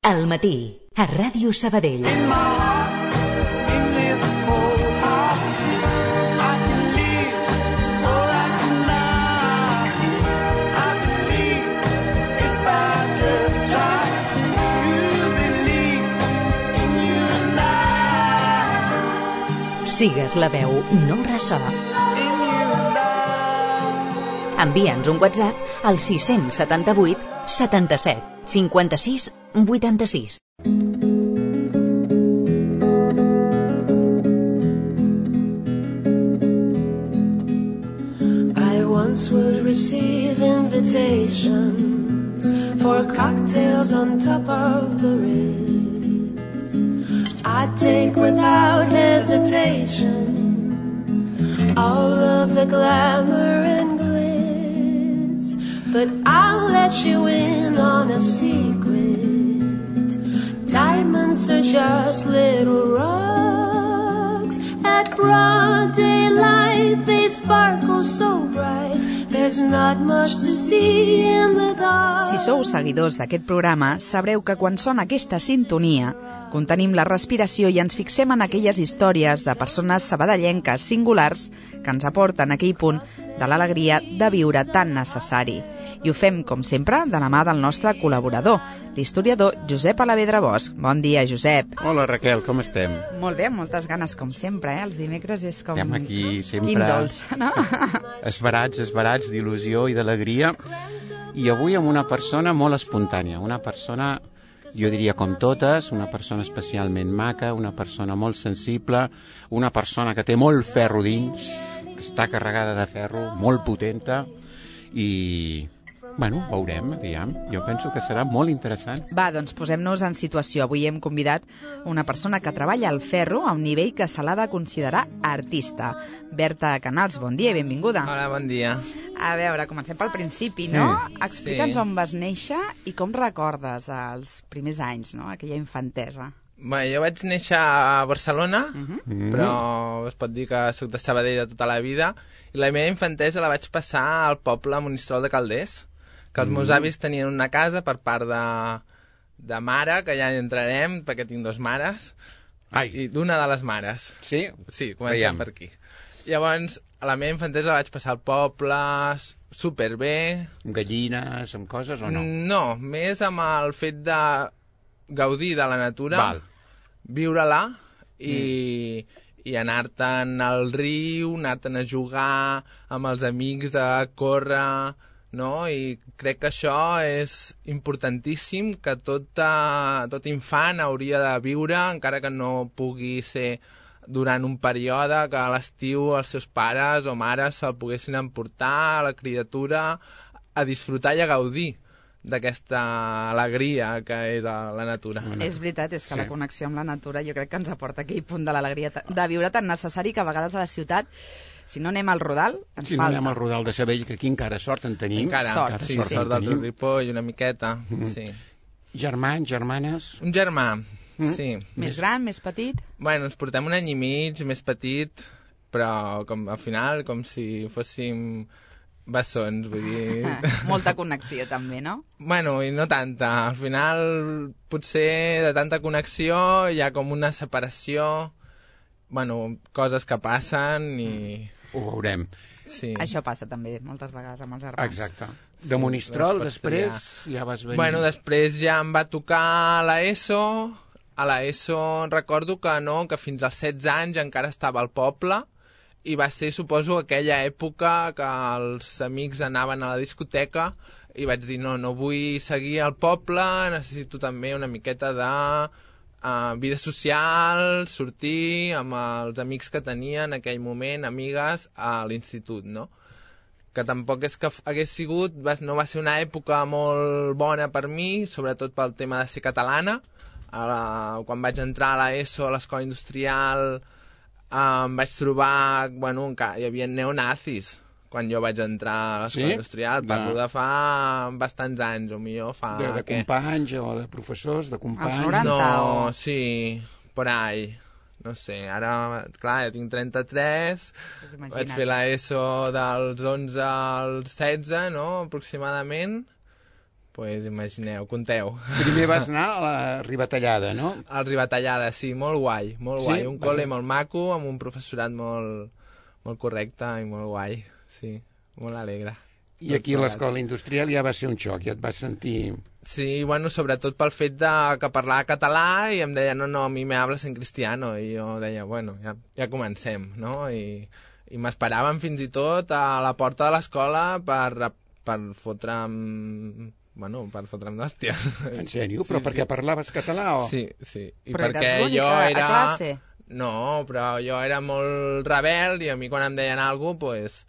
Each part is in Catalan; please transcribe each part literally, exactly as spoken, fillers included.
Al matí, a Ràdio Sabadell. Sigues la veu, no ressò. Envia'ns un WhatsApp al sis set vuit setanta-set cinquanta-sis vuitanta-sis. I once would receive invitations for cocktails on top of the Ritz. I'd take without hesitation all of the glamour and glitz, but I'll let you in on a secret. Diamonds are just little rocks. At broad daylight they sparkle so bright. There's not much to see in the dark. Si sou seguidors d'aquest programa, sabreu que quan sona aquesta sintonia, contenim la respiració i ens fixem en aquelles històries de persones sabadellenques singulars que ens aporten aquell punt de l'alegria de viure tan necessari. I ho fem, com sempre, de la mà del nostre col·laborador, l'historiador Josep Alavedra Bosch. Bon dia, Josep. Hola, Raquel, com estem? Molt bé, moltes ganes, com sempre, eh? Els dimecres és com... Estem aquí sempre... Quin dolç, no? Esbarats, esbarats d'il·lusió i d'alegria. I avui amb una persona molt espontània, una persona... Jo diria com totes, una persona especialment maca, una persona molt sensible, una persona que té molt ferro dins, que està carregada de ferro, molt potenta, i... Bueno, veurem, aviam. Jo penso que serà molt interessant. Va, doncs posem-nos en situació. Avui hem convidat una persona que treballa al ferro a un nivell que se l'ha de considerar artista. Berta Canals, bon dia i benvinguda. Hola, bon dia. A veure, comencem pel principi, no? Sí. Explica'ns Sí. on vas néixer i com recordes els primers anys, no? Aquella infantesa. Bé, jo vaig néixer a Barcelona, Uh-huh. Mm. però es pot dir que soc de Sabadell de tota la vida, i la meva infantesa la vaig passar al poble Monistrol de Calders, que els meus avis tenien una casa per part de, de mare, que ja hi entrarem, perquè tinc dos mares, Ai, i d'una de les mares. sí? Sí, comencem Veiem. per aquí. Llavors, a la meva infantesa la vaig passar al poble, s- superbé. Amb gallines, amb coses o no? No, més amb el fet de gaudir de la natura, Val. viure-la i, i anar-te'n al riu, anar-te'n a jugar amb els amics, a córrer, no? I crec que això és importantíssim, que tot, eh, tot infant hauria de viure, encara que no pugui ser durant un període, que a l'estiu els seus pares o mares se'l poguessin emportar, la criatura, a disfrutar i a gaudir d'aquesta alegria que és a la natura. És veritat, és que Sí. la connexió amb la natura jo crec que ens aporta aquell punt de l'alegria ta- de viure tan necessari que a vegades a la ciutat, si no anem al Rodal, ens Si no falta. anem al Rodal de Sabell, que aquí encara sort en tenim. Encara, Sort, sí, sort en sort del tenim. Ripoll, una miqueta, sí. Germans, germanes... Un germà, sí. Més gran, més petit? Bueno, ens portem un any i mig, més petit, però com, al final com si fóssim bessons, vull dir... Molta connexió també, no? Bueno, i no tanta. Al final, potser de tanta connexió hi ha com una separació, bueno, coses que passen i... Ho veurem. Sí. Això passa també moltes vegades amb els germans. Exacte. De Monistrol, les pots després, ja vas venir... Bueno, després ja em va tocar a l'ESO. A l'ESO recordo que no, que fins als setze anys encara estava al poble i va ser, suposo, aquella època que els amics anaven a la discoteca i vaig dir, no, no vull seguir al poble, necessito també una miqueta de uh, vida social, sortir amb els amics que tenia en aquell moment, amigues, a l'institut, no? Que tampoc és que f- hagués sigut, va, no va ser una època molt bona per mi, sobretot pel tema de ser catalana. A la, quan vaig entrar a l'ESO, a l'escola industrial, eh, em vaig trobar, bueno, encara hi havia neonazis quan jo vaig entrar a l'escola Sí? industrial. Parlo De- de fa bastants anys, o millor fa... De, de què? companys o de professors, de companys... noranta. No, o- sí, por ahí. No sé, ara, clar, jo tinc trenta-tres, Pues imagina't. vaig fer l'ESO dels onze als setze, no?, aproximadament. pues imagineu, conteu. Primer vas anar a la Ribatallada, no? Al Ribatallada, sí, molt guai, molt Sí? guai. Un col·le Vaja. molt maco, amb un professorat molt, molt correcte i molt guai, sí, molt alegre. I aquí a l'escola industrial ja va ser un xoc, ja et vas sentir... Sí, bueno, sobretot pel fet de que parlava català i em deia, no, no, a mi me hablas en cristiano, i jo deia, bueno, ja, ja comencem, no? I, i m'esperaven fins i tot a la porta de l'escola per, per fotre'm... Bueno, per fotre'm d'hòstia. En sèrio? Però Sí, perquè sí. parlaves català o...? Sí, sí. I Però perquè eres l'única jo a era... classe? No, però jo era molt rebel i a mi quan em deien alguna cosa, pues,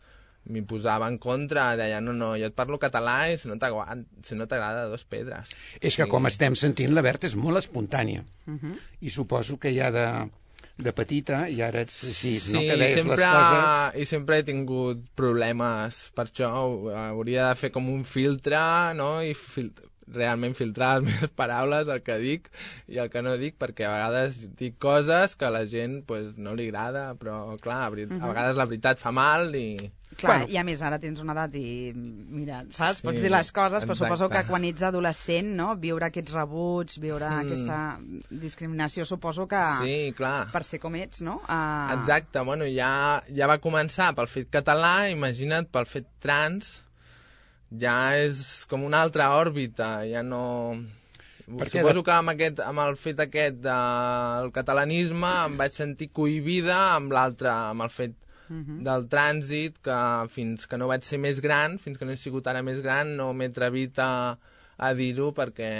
m'hi posava en contra, deia, no, no, jo et parlo català i si no t'agrada, si no t'agrada, dos pedres. És que, com estem sentint, la Berta és molt espontània. I suposo que ja de, de petita ja eres així, Sí, no? Que deies sempre, les coses... i sempre he tingut problemes, per això hauria de fer com un filtre, no?, i fil realment filtrar les meves paraules, el que dic i el que no dic, perquè a vegades dic coses que a la gent pues, no li agrada, però clar, a, uh -huh. a vegades la veritat fa mal i... Clar, Bueno. i a més ara tens una edat i, mira, saps? Sí, Pots dir les coses, però exacte. suposo que quan ets adolescent, no?, viure aquests rebuts, viure Mm. aquesta discriminació, suposo que Sí, clar. per ser com ets, no? Uh... Exacte, bueno, ja, ja va començar pel fet català, imagina't pel fet trans, ja és com una altra òrbita, ja no... Perquè Suposo de- que amb, aquest, amb el fet aquest del catalanisme em vaig sentir cohibida amb l'altre, amb el fet del trànsit, que fins que no vaig ser més gran, fins que no he sigut ara més gran, no m'he atrevit a, a dir-ho perquè...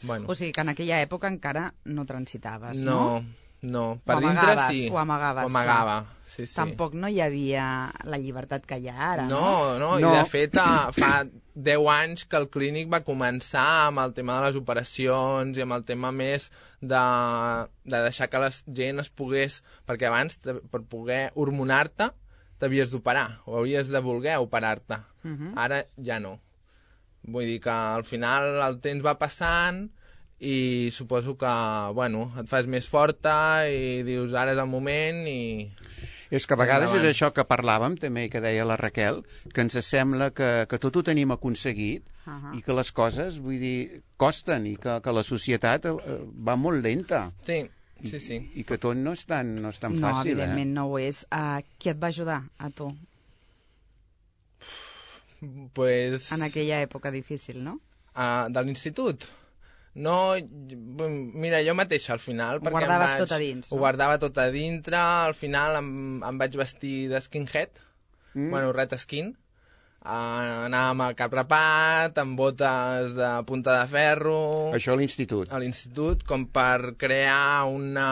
Bueno, O sigui que en aquella època encara no transitaves, no? no, no. Per Ho dintre amagaves, sí. ho amagaves, Ho amagava, sí, sí. Tampoc no hi havia la llibertat que hi ha ara, no? No, no, No. i de fet a, fa deu anys que el clínic va començar amb el tema de les operacions i amb el tema més de, de deixar que la gent es pogués... Perquè abans, te- per poder hormonar-te, t'havies d'operar, o havies de voler operar-te. Mhm. Ara ja no. Vull dir que al final el temps va passant i suposo que, bueno, et fas més forta i dius ara és el moment i... És que a vegades Endavant. és això que parlàvem, també, que deia la Raquel, que ens sembla que, que tot ho tenim aconseguit Ahà. i que les coses, vull dir, costen i que, que la societat eh, va molt lenta Sí, sí, sí. i que tot no és tan, no és tan No, fàcil. evidentment Eh? no ho és. Uh, qui et va ajudar, a tu, Pues... en aquella època difícil, no? Uh, de l'institut? No, j- mira, jo mateixa al final... Ho perquè em guardaves vaig, tot a dins, no? Ho guardava tot a dintre, al final em, em vaig vestir de skinhead, mm. bueno, red skin, uh, anava amb el cap rapat, amb botes de punta de ferro, Això a l'institut. a l'institut, com per crear una...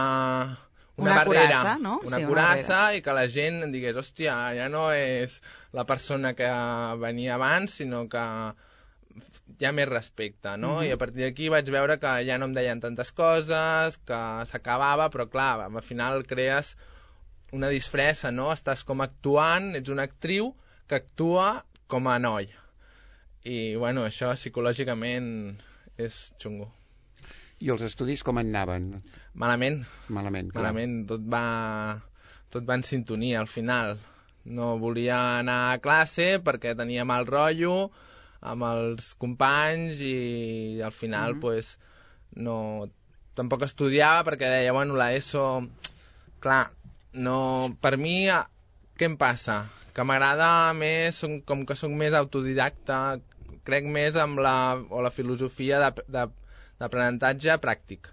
Una, Una barrera, coraça, no? Una Sí, una coraça, i que la gent em digués, hòstia, ja no és la persona que venia abans, sinó que hi ha més respecte, no? Mhm. I a partir d'aquí vaig veure que ja no em deien tantes coses, que s'acabava, però clar, al final crees una disfressa, no? Estàs com actuant, ets una actriu que actua com a noi. I, bueno, això psicològicament és xungo. I els estudis com anaven? Malament, Malament, clar. malament, tot va, tot va en sintonia al final. No volia anar a classe perquè tenia mal rotllo amb els companys i al final, Mhm. pues, no... Tampoc estudiava perquè deia, bueno, la ESO... Clar, no... Per mi, a- què em passa? Que m'agrada més, som- com que sóc més autodidacta, crec més amb la, o la filosofia de, de, d'aprenentatge pràctic,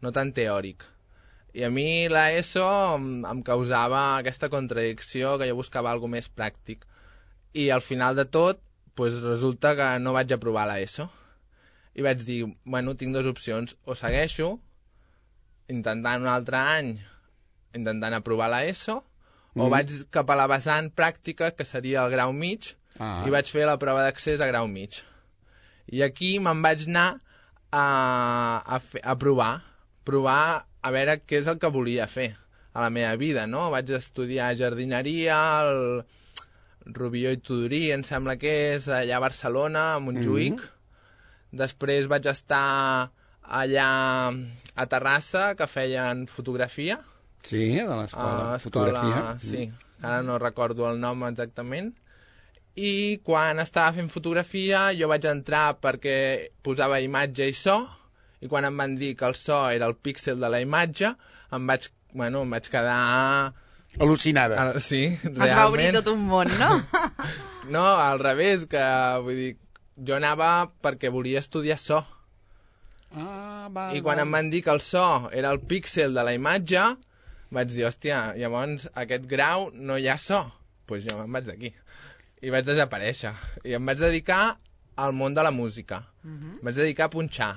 no tan teòric. I a mi la ESO em, em causava aquesta contradicció que jo buscava alguna més pràctic. I al final de tot, pues, resulta que no vaig aprovar la ESO. I vaig dir, bueno, tinc dues opcions. O segueixo intentant un altre any, intentant aprovar la ESO, o Mm. vaig cap a la vessant pràctica, que seria el grau mig, Ah. i vaig fer la prova d'accés a grau mig. I aquí me'n vaig anar a, a, fer, a provar, provar a veure què és el que volia fer a la meva vida, no? Vaig estudiar jardineria, el Rubió i Tudurí, em sembla que és allà a Barcelona, a Montjuïc. Mm-hmm. Després vaig estar allà a Terrassa, que feien fotografia. Sí, de l'escola a de fotografia. Sí, ara no recordo el nom exactament. i quan estava fent fotografia jo vaig entrar perquè posava imatge i so, i quan em van dir que el so era el píxel de la imatge, em vaig, bueno, em vaig quedar... Al·lucinada. Al, sí, realment. Es va obrir tot un món, no? No, al revés, que vull dir, jo anava perquè volia estudiar so. Ah, val, I quan val. em van dir que el so era el píxel de la imatge, vaig dir, hòstia, llavors aquest grau no hi ha so. Doncs pues jo me'n vaig d'aquí. I vaig desaparèixer. I em vaig dedicar al món de la música. Uh-huh. Em vaig dedicar a punxar.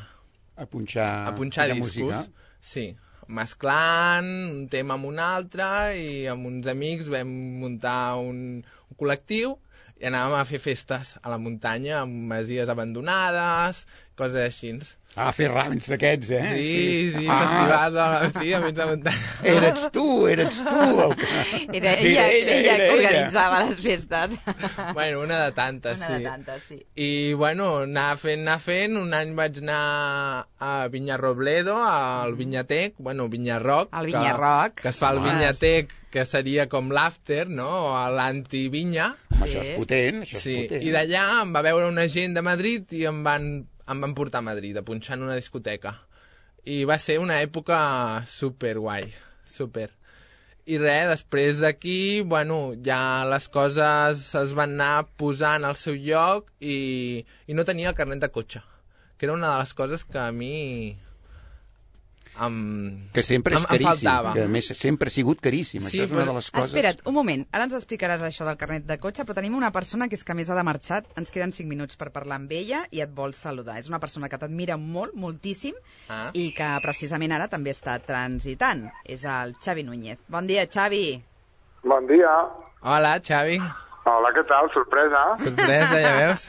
A punxar, a punxar discos. Música. Sí, mesclant un tema amb un altre i amb uns amics vam muntar un, un col·lectiu i anàvem a fer festes a la muntanya amb masies abandonades, coses així. Ah, fer rams d'aquests, eh? Sí, sí, sí ah. festivals, a, sí, a mig de muntanya. Eres tu, eres tu el que... Era ella, ella, ella, ella que organitzava ella. Les festes. Bueno, una de tantes, una sí. Una de tantes, sí. I, bueno, anar fent, anar fent, un any vaig anar a Vinyarrobledo, al Vinyatec, bueno, Vinyarroc. Al Vinyarroc. Que, que es fa al Vinyatec, que seria com l'after, no?, o l'anti-vinya. Home, sí. Això és potent, això és sí. potent. I d'allà em va veure una gent de Madrid i em van, em van portar a Madrid, a punxar en una discoteca. I va ser una època super guai, super. I res, després d'aquí, bueno, ja les coses es van anar posant al seu lloc i, i no tenia el carnet de cotxe, que era una de les coses que a mi... Em, que sempre és em, caríssim, em que a més sempre ha sigut caríssim, sí, això és una de les coses... Espera't, un moment, ara ens explicaràs això del carnet de cotxe, però tenim una persona que és que més ha de marxar, ens queden cinc minuts per parlar amb ella i et vol saludar. És una persona que t'admira molt, moltíssim, ah. i que precisament ara també està transitant. És el Xavi Núñez. Bon dia, Xavi. Bon dia. Hola, Xavi. Hola, què tal? Sorpresa? Sorpresa, ja veus?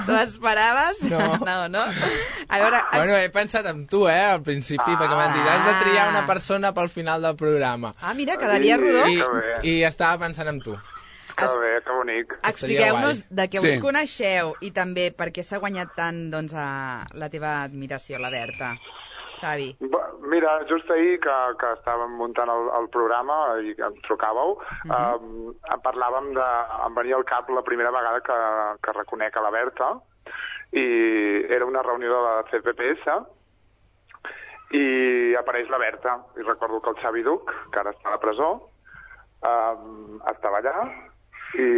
T'ho esperaves? No. No, no. A veure... Bueno, he pensat en tu, eh, al principi, ah. perquè m'han dit, has de triar una persona pel final del programa. Ah, mira, quedaria sí, rodó. I, I estava pensant en tu. Que bé, que bonic. Expliqueu-nos de què sí. us coneixeu i també per què s'ha guanyat tant, doncs, a la teva admiració, la Berta. Xavi. Mira, just ahir que, que estàvem muntant el, el programa i em trucàveu, uh -huh. eh, parlàvem de... em venia al cap la primera vegada que, que reconec a la Berta i era una reunió de la C P P S i apareix la Berta i recordo que el Xavi Duc, que ara està a la presó, eh, estava allà i,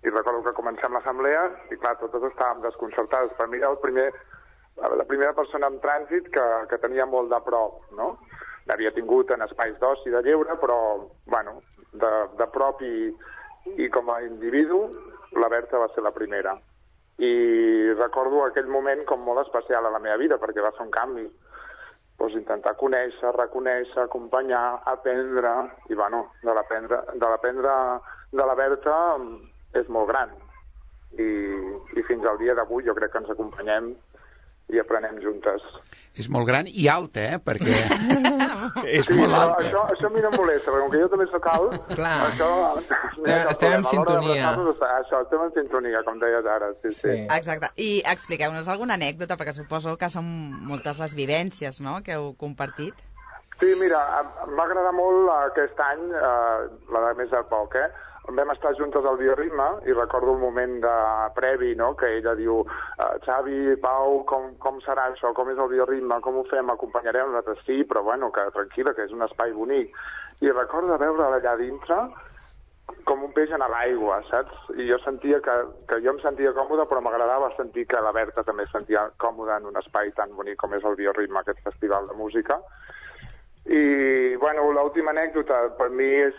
i recordo que comencem l'assemblea i clar, totes estàvem desconcertades. Per mi era el primer... la primera persona en trànsit que, que tenia molt de prop, no? L'havia tingut en espais d'oci de lleure, però, bueno, de, de prop i, i com a individu, la Berta va ser la primera. I recordo aquell moment com molt especial a la meva vida, perquè va ser un canvi. Pues intentar conèixer, reconèixer, acompanyar, aprendre, i, bueno, de l'aprendre de l'aprendre de la Berta és molt gran. I, i fins al dia d'avui jo crec que ens acompanyem i aprenem juntes. És molt gran i alta, eh? Perquè és sí, molt alta. Això, això a mi no em molesta, perquè com que jo també soc alt, clar. Això... Estem, estem en sintonia. Això, estem en sintonia, com deies ara. Sí, sí. sí. Exacte. I expliqueu-nos alguna anècdota, perquè suposo que són moltes les vivències, no?, que heu compartit. Sí, mira, em va agradar molt aquest any, eh, la de més a poc, eh? Vam estar juntes al Bioritme i recordo el moment de previ, no?, que ella diu Xavi, Pau, com, com serà això, com és el Bioritme, com ho fem, acompanyarem nosaltres? Sí, però bueno, que tranquil·la, que és un espai bonic. I recordo veure allà dintre com un peix en l'aigua, saps? I jo sentia que, que jo em sentia còmode, però m'agradava sentir que la Berta també es sentia còmoda en un espai tan bonic com és el Bioritme, aquest festival de música. I, bueno, l'última anècdota per mi és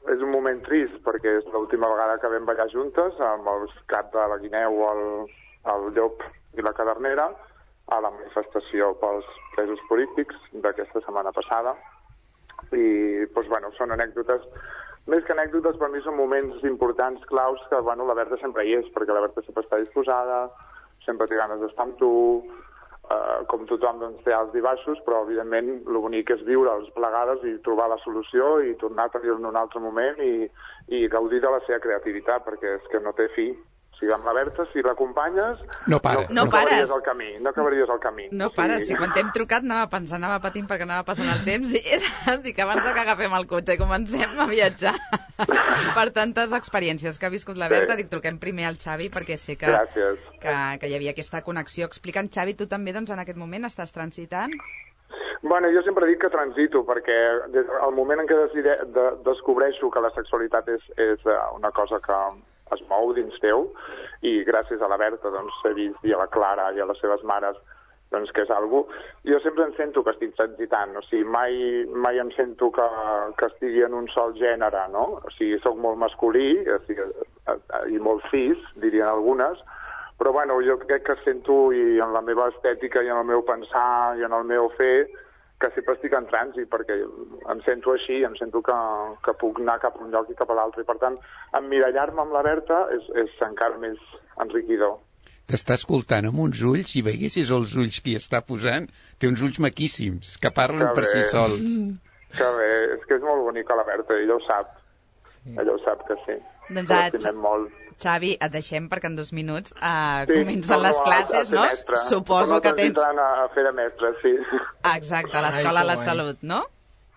és un moment trist, perquè és l'última vegada que vam ballar juntes amb els caps de la Guineu, el, el Llop i la Cadernera a la manifestació pels presos polítics d'aquesta setmana passada. I, doncs, bueno, són anècdotes, més que anècdotes, per mi són moments importants, claus, que, bueno, la Berta sempre hi és, perquè la Berta sempre està disposada, sempre té ganes d'estar amb tu, Uh, com tothom, doncs, té alts i baixos, però evidentment el bonic és viure'ls plegades i trobar la solució i tornar a tenir-ne un altre moment i, i gaudir de la seva creativitat, perquè és que no té fi. O sigui, amb la Berta, si l'acompanyes, no, para. no, no acabaries pares. el camí. No acabaries el camí. No o sigui... pares. Si quan t'hem trucat anava pensant, anava patint perquè anava passant el temps i era, dic, abans de que agafem el cotxe i comencem a viatjar per tantes experiències que ha viscut la Berta, sí. Dic, truquem primer al Xavi perquè sé que, que, que hi havia aquesta connexió. Explica'm, Xavi, tu també doncs, en aquest moment estàs transitant? Bueno, jo sempre dic que transito, perquè des del moment en què decide, de, descobreixo que la sexualitat és, és una cosa que es mou dins teu, i gràcies a la Berta doncs, he vist, i a la Clara i a les seves mares, doncs, que és algo. Jo sempre em sento que estic transitant, o sigui, mai, mai em sento que, que estigui en un sol gènere, no? O sigui, soc molt masculí, o sigui, i molt cis, dirien algunes, però bueno, jo crec que sento, i en la meva estètica, i en el meu pensar, i en el meu fer, que sempre estic en trànsit, perquè em sento així, em sento que, que puc anar cap a un lloc i cap a l'altre, i per tant, emmirallar-me amb la Berta és, és encara més enriquidor. T'està escoltant amb uns ulls, i veiessis els ulls que hi està posant, té uns ulls maquíssims, que parlen que per bé. Si sols. Que bé, és que és molt bonica la Berta, ella ho sap, sí. Ella ho sap que sí. Doncs l'estimem molt. Xavi, et deixem perquè en dos minuts uh, sí, comencen les classes, no? Mestre. Suposo que tens... a fer de mestre, sí. Exacte, a l'Escola de la Salut, no?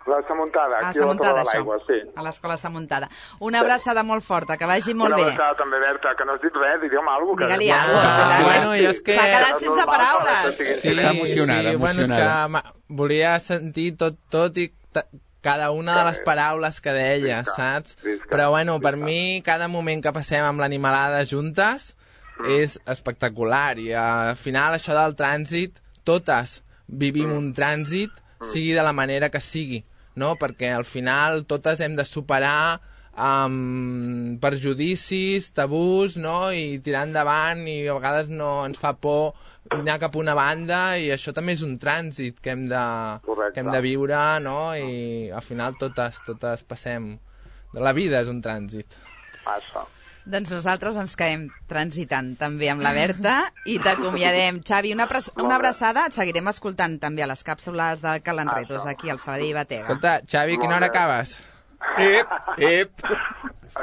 La Samuntada, aquí a la Torre de l'Aigua, sí. A l'Escola Samuntada. Una abraçada molt forta, que vagi molt bé. bé. Una abraçada també, Berta, que no has dit res, digue'm alguna cosa. Digue-li alguna cosa. Bueno, jo és que... S'ha quedat sense paraules. Sí, està emocionada, sí, emocionada. Bueno, és que volia sentir tot, tot i cada una de les paraules que deia, visca, saps? Visca, Però, bueno, visca. Per mi, cada moment que passem amb l'animalada juntes mm. és espectacular. I al final, això del trànsit, totes vivim mm. un trànsit, sigui de la manera que sigui, no? Perquè al final totes hem de superar um, perjudicis, tabús, no? I tirar endavant, i a vegades no ens fa por anar cap a una banda, i això també és un trànsit que hem de, que hem de viure, no? I al final totes, totes passem. La vida és un trànsit. Això. Doncs nosaltres ens quedem transitant també amb la Berta i t'acomiadem. Xavi, una, una abraçada. Et seguirem escoltant també a les càpsules de Cal Enretos, aquí al Sabadell Batega. Escolta, Xavi, quina hora acabes? Ep, ep.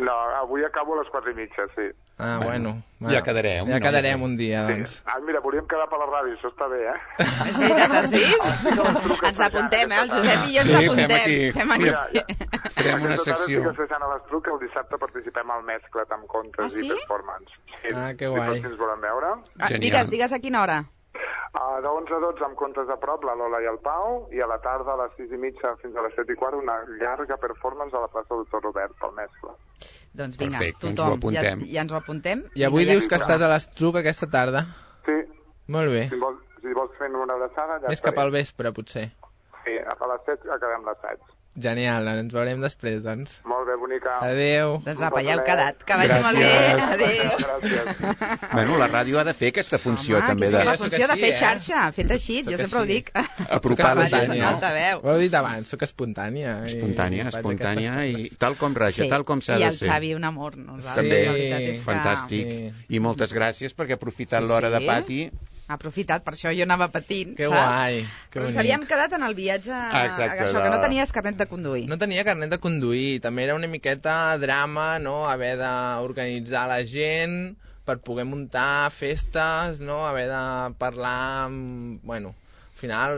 No, avui acabo a les quatre i mitja, sí. Ah, bueno. bueno. Ja quedarem. Ja quedarem un dia, doncs. Sí. Ah, mira, volíem quedar per la ràdio, això està bé, eh? És veritat, a sis? Ens apuntem, eh? El Josep i jo ens sí, apuntem. Fem aquí. Fem aquí. Mira, ja. Farem una secció. Aquesta tarda estic l'Estruc, que el dissabte participem al Mescla't amb contes ah, sí? i performance. Sí. Ah, que guai. Si ens volen veure. Ah, digues, digues a quina hora. Uh, de onze a dotze amb contes a prop, la Lola i el Pau, i a la tarda a les sis i mitja fins a les set i quart una llarga performance a la plaça Doctor Robert, pel Mescle. Doncs vinga, perfecte, tothom, ja, ja ens ho apuntem. I avui dius que estàs a l'Estruc aquesta tarda? Sí. Molt bé. Si vols, si vols fer una abraçada... Ja Més cap al vespre, potser. Sí, a les set acabem l'assaig. Genial, ens veurem després, doncs. Molt bé, bonica. Adéu. Doncs apa, ja heu quedat. Que vagi molt bé. Adéu. Gràcies. Bueno, la ràdio ha de fer aquesta funció, Home, també. Aquesta De... és la funció de fer xarxa, fet així, jo sempre ho dic. Apropar la gent, no? Ho heu dit abans, soc espontània. Espontània, espontània, i tal com raja, tal com s'ha de ser. I el Xavi, un amor, nosaltres. També, fantàstic. I moltes gràcies, perquè ha aprofitat l'hora de pati. Ha aprofitat, per això jo anava patint, que saps? Guai, que bonic. Ens havíem quedat en el viatge, ah, exacte, això, de... que no tenies carnet de conduir. No tenia carnet de conduir, també era una miqueta drama, no?, haver d'organitzar la gent per poder muntar festes, no?, haver de parlar amb... Bueno, al final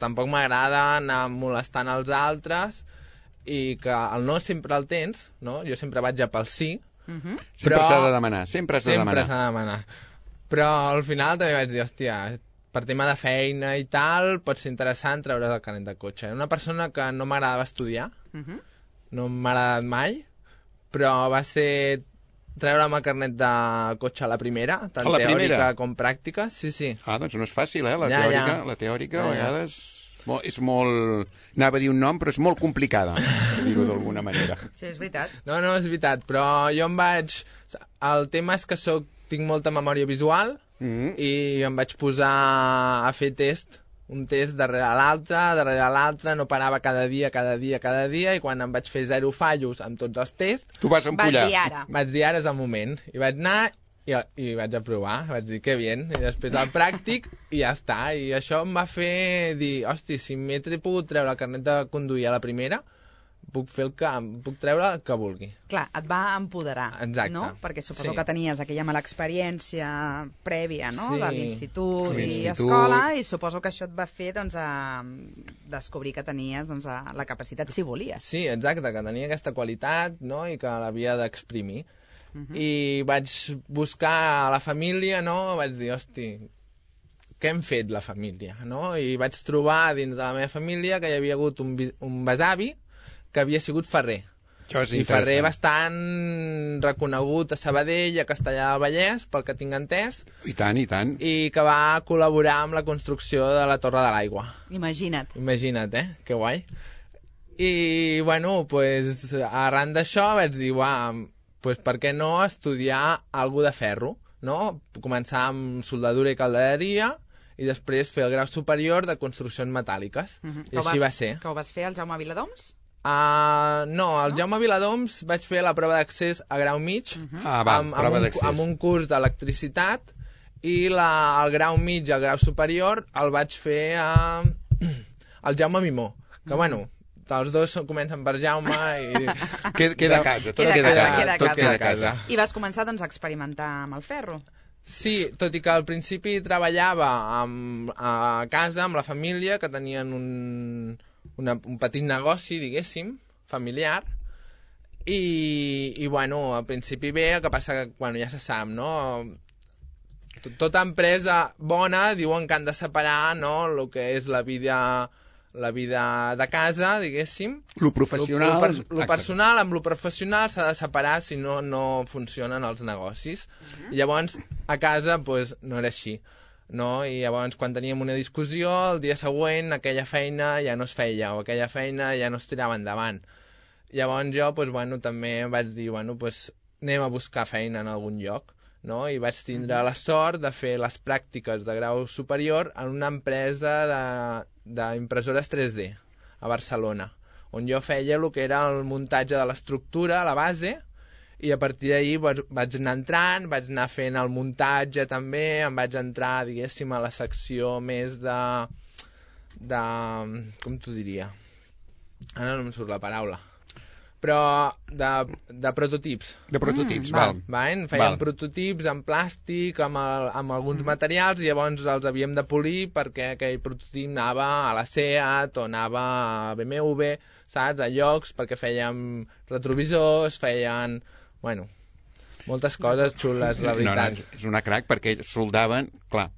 tampoc m'agrada anar molestant els altres i que el no sempre el tens, no?, jo sempre vaig a pel sí, uh-huh. Sempre s'ha de demanar, sempre s'ha de demanar. Sempre s'ha de demanar. Però al final també vaig dir, hòstia, per tema de feina i tal, pot ser interessant treure's el carnet de cotxe. Era una persona que no m'agradava estudiar, uh-huh. no m'ha agradat mai, però va ser treure'm el carnet de cotxe a la primera, tant a la teòrica primera? com pràctica, sí, sí. Ah, doncs no és fàcil, eh? La ja, teòrica, ja. la teòrica ja, a vegades... Ja. És molt... Anava a dir un nom, però és molt complicada, per dir-ho d'alguna manera. Sí, és veritat. No, no, és veritat, però jo em vaig... El tema és que soc... tinc molta memòria visual mm-hmm. i em vaig posar a fer test, un test darrere l'altre, darrere l'altre, no parava cada dia, cada dia, cada dia, i quan em vaig fer zero fallos amb tots els tests... Tu vas empollar. Vaig dir ara. Vaig dir ara és el moment. I vaig anar i, i vaig aprovar, vaig dir que bien, i després el pràctic i ja està. I això em va fer dir, hosti, si m'he pogut treure el carnet de conduir a la primera, puc fer el que... puc treure el que vulgui. Clar, et va empoderar, Exacte. no? Perquè suposo Sí. que tenies aquella mala experiència prèvia, no?, Sí. de l'institut Sí, i l'institut. escola, i suposo que això et va fer, doncs, a descobrir que tenies, doncs, a la capacitat, si volies. Sí, exacte, que tenia aquesta qualitat, no?, i que l'havia d'exprimir. Uh -huh. I vaig buscar a la família, no?, vaig dir, hosti, què hem fet la família, no? I vaig trobar dins de la meva família que hi havia hagut un, un besavi que havia sigut ferrer. Això és I ferrer interessant. bastant reconegut a Sabadell, a Castellar del Vallès, pel que tinc entès, I tant, i tant. i que va col·laborar amb la construcció de la Torre de l'Aigua. Imagina't. Imagina't, eh? Que guai. I, bueno, pues, arran d'això vaig dir, uah, pues, per què no estudiar alguna de ferro, no? Començar amb soldadura i caldereria i després fer el grau superior de construccions metàl·liques. Uh -huh. I així va ser. Que ho vas fer al Jaume Viladoms? Uh, no, al no? Jaume Viladoms vaig fer la prova d'accés a grau mig uh -huh. Ah, va, amb, prova amb, un, d'accés. amb un curs d'electricitat i la, el grau mig i el grau superior el vaig fer a, al Jaume Mimó, que uh -huh. bueno, els dos comencen per Jaume i... Queda, queda a casa, tot Queda queda, a a casa, casa. queda a tot casa. queda a casa. I vas començar, doncs, a experimentar amb el ferro. Sí, tot i que al principi treballava amb, a casa amb la família, que tenien un, una, un petit negoci, diguéssim, familiar, i, i bueno, al principi bé, el que passa que, bueno, ja se sap, no? Tota empresa bona diuen que han de separar, no?, el que és la vida, la vida de casa, diguéssim. Lo professional... Lo, lo, per, lo personal amb lo professional s'ha de separar, si no, no funcionen els negocis. Uh -huh. I llavors, a casa, pues, no era així. No? I llavors, quan teníem una discussió, el dia següent aquella feina ja no es feia, o aquella feina ja no es tirava endavant. Llavors jo, pues, bueno, també vaig dir, bueno, pues, anem a buscar feina en algun lloc. No? I vaig tindre la sort de fer les pràctiques de grau superior en una empresa d'impressores tres D a Barcelona, on jo feia el que era el muntatge de l'estructura, la base, i a partir d'ahir vaig anar entrant, vaig anar fent el muntatge també, em vaig entrar, diguéssim, a la secció més de... de... com t'ho diria? Ara no em surt la paraula. Però de, de prototips. De prototips, Mm, val. val. Fèiem Val. prototips en plàstic, amb, el, amb alguns materials, i llavors els havíem de polir perquè aquell prototip anava a la SEAT o anava a B M W, saps? A llocs, perquè fèiem retrovisors, feien... Bueno, moltes coses xules, la veritat. No, no, és una crac perquè soldaven... Clar.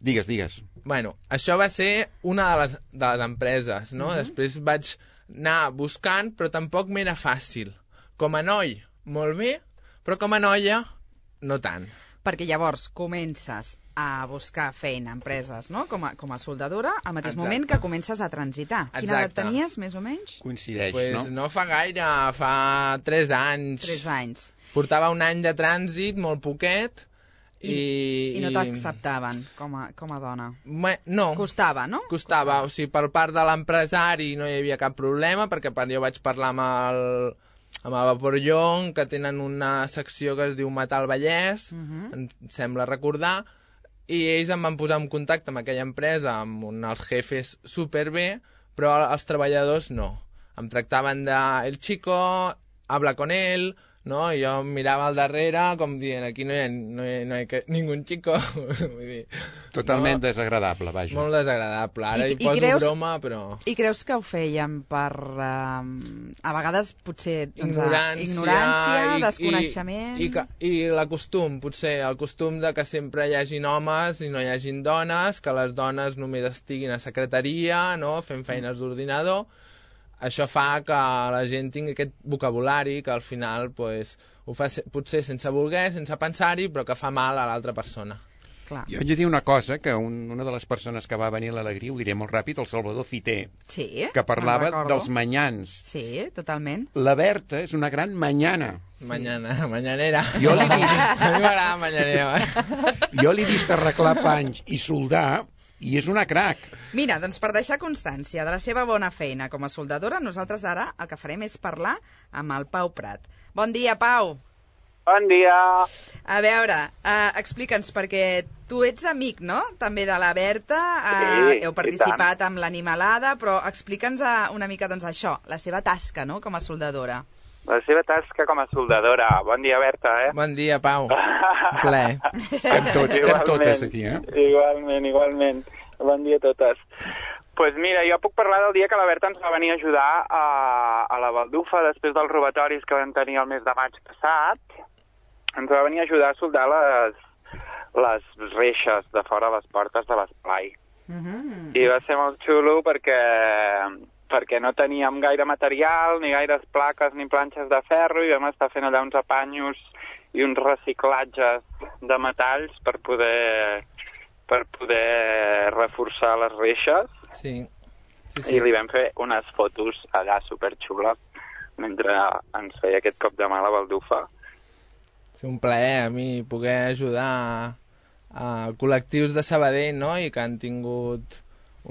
Digues, digues. Bueno, això va ser una de les, de les empreses, no? Uh-huh. Després vaig anar buscant, però tampoc m'era fàcil. Com a noi, molt bé, però com a noia, no tant. Perquè llavors comences a buscar feina a empreses, no?, com a, com a soldadora, al mateix Exacte. moment que comences a transitar. Quina edat Exacte. tenies, més o menys? Coincideix, Pues no? no fa gaire, fa tres anys. Tres anys. Portava un any de trànsit, molt poquet, I, i... i no t'acceptaven com a, com a dona. Me, no. Costava, no? Costava, o sigui, per part de l'empresari no hi havia cap problema, perquè jo vaig parlar amb el, amb el Vaporllon, que tenen una secció que es diu Metal Vallès, uh -huh. em sembla recordar, i ells em van posar en contacte amb aquella empresa, amb un, els jefes superbé, però els treballadors no. Em tractaven de el chico, habla con él, no? I jo mirava al darrere com dient, aquí no hi ha, no hi ha, no hi ha ningú chico. Vull dir, Totalment no? desagradable, vaja. Molt desagradable. Ara I- hi i poso creus- broma, però... I creus que ho feien per... Uh, a vegades, potser... Doncs, Ignorància, ignorància, i, desconeixement... I, i, que- i la costum, potser, el costum de que sempre hi hagin homes i no hi hagin dones, que les dones només estiguin a secretaria, no?, fent feines d'ordinador. Això fa que la gent tingui aquest vocabulari que al final pues, ho fa se- potser sense voler, sense pensar-hi, però que fa mal a l'altra persona. Clar. Jo haig de dir una cosa, que un, una de les persones que va venir a l'Alegria, ho diré molt ràpid, el Salvador Fiter, Sí, que parlava me'n recordo. dels manyans. Sí, totalment. La Berta és una gran manyana. Sí. Mañana, mañanera. Jo l'he vist, A mi m'agrada mañanera. jo l'he vist arreglar panys i soldar, i és una crac. Mira, doncs per deixar constància de la seva bona feina com a soldadora, nosaltres ara el que farem és parlar amb el Pau Prat. Bon dia, Pau. Bon dia. A veure, uh, explica'ns, perquè tu ets amic, no?, també de la Berta, uh, sí, heu participat amb l'Animalada, però explica'ns uh, una mica, doncs, això, la seva tasca, no?, com a soldadora. La seva tasca com a soldadora. Bon dia, Berta, eh? Bon dia, Pau. Un plaer. Estem tots, estem totes aquí, eh? Igualment, igualment. Bon dia a totes. Doncs pues mira, jo puc parlar del dia que la Berta ens va venir a ajudar a, a la Baldufa després dels robatoris que vam tenir el mes de maig passat. Ens va venir a ajudar a soldar les, les reixes de fora les portes de l'esplai. Mm-hmm. I va ser molt xulo perquè, perquè no teníem gaire material, ni gaires plaques ni planxes de ferro, i vam estar fent allà uns apanyos i uns reciclatges de metalls per poder, per poder reforçar les reixes. Sí. Sí, sí. I li vam fer unes fotos allà superxules mentre ens feia aquest cop de mà a la Baldufa. És un plaer a mi poder ajudar a, a col·lectius de Sabadell, no?, i que han tingut